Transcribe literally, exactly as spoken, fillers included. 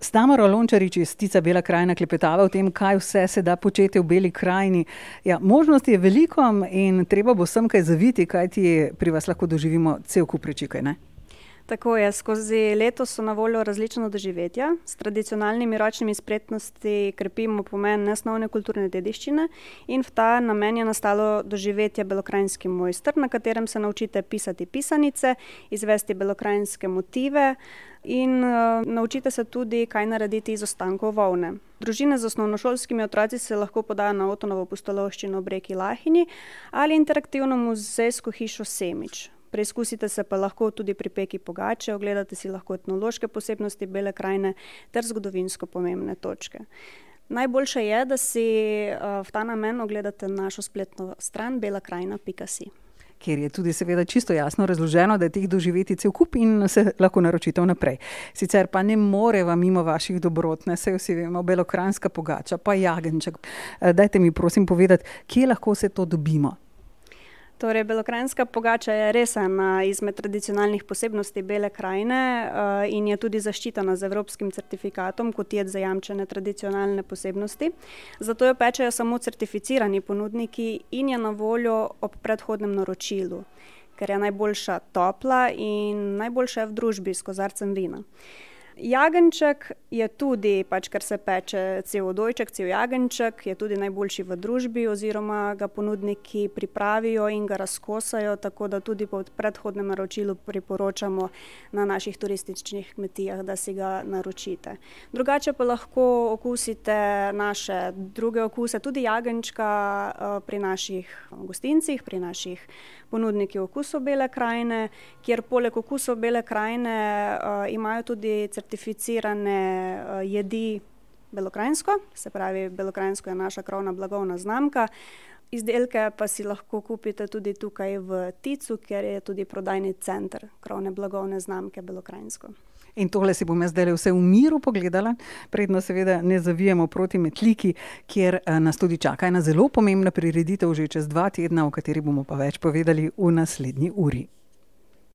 S Tamaro Lončarič iz Tica Bela krajina klepetava o tem, kaj vse se da početi v Beli krajini. Ja, možnosti je veliko in treba bo sem kaj zaviti, kajti pri vas lahko doživimo cel kup reči, kaj ne? Tako je, skozi leto so na voljo različna doživetja. S tradicionalnimi ročnimi spretnosti krepimo pomen nesnovne kulturne dediščine in v ta namen je nastalo doživetje Belokranjski mojster, na katerem se naučite pisati pisanice, izvesti belokranjske motive in uh, naučite se tudi, kaj narediti iz ostankov volne. Družine z osnovnošolskimi otroci se lahko podajo na Otonovo pustolovščino ob reki Lahini ali interaktivno muzejsko hišo Semič. Preizkusite se pa lahko tudi pri peki pogače, ogledate si lahko etnološke posebnosti Bele krajine ter zgodovinsko pomembne točke. Najboljše je, da si uh, v ta namen ogledate našo spletno stran bela krajina pika si. Kjer je tudi seveda čisto jasno razloženo, da je teh doživetij cel kup in se lahko naročite vnaprej. Sicer pa ne moreva mimo vaših dobrot, ne, saj vsi vemo, belokranjska pogača, pa jagenjček. Dajte mi prosim povedati, kje lahko vse to dobimo? Torej, belokranjska pogača je res ena izmed tradicionalnih posebnosti Bele krajine uh, in je tudi zaščitena z evropskim certifikatom kot jed zajamčene tradicionalne posebnosti. Zato jo pečejo samo certificirani ponudniki in je na voljo ob predhodnem naročilu, ker je najboljša topla in najboljša je v družbi s kozarcem vina. Jagenjček je tudi, pač ker se peče cel odojček, cel jagenjček, je tudi najboljši v družbi oziroma ga ponudniki pripravijo in ga razkosajo, tako da tudi po predhodnem naročilu priporočamo na naših turističnih kmetijah, da si ga naročite. Drugače pa lahko okusite naše druge okuse, tudi jagenjčka pri naših gostincih, pri naših ponudnikih okusov Bele krajine, kjer poleg okusov Bele krajine uh, imajo tudi certificirane uh, jedi belokranjsko, se pravi, belokranjsko je naša krovna blagovna znamka. Izdelke pa si lahko kupite tudi tukaj v Ticu, kjer je tudi prodajni center krovne blagovne znamke belokranjsko. In tole si bom jaz zdaj vse v miru pogledala, predno seveda ne zavijemo proti Metliki, kjer nas tudi čaka ena zelo pomembna prireditev že čez dva tedna, o kateri bomo pa več povedali v naslednji uri.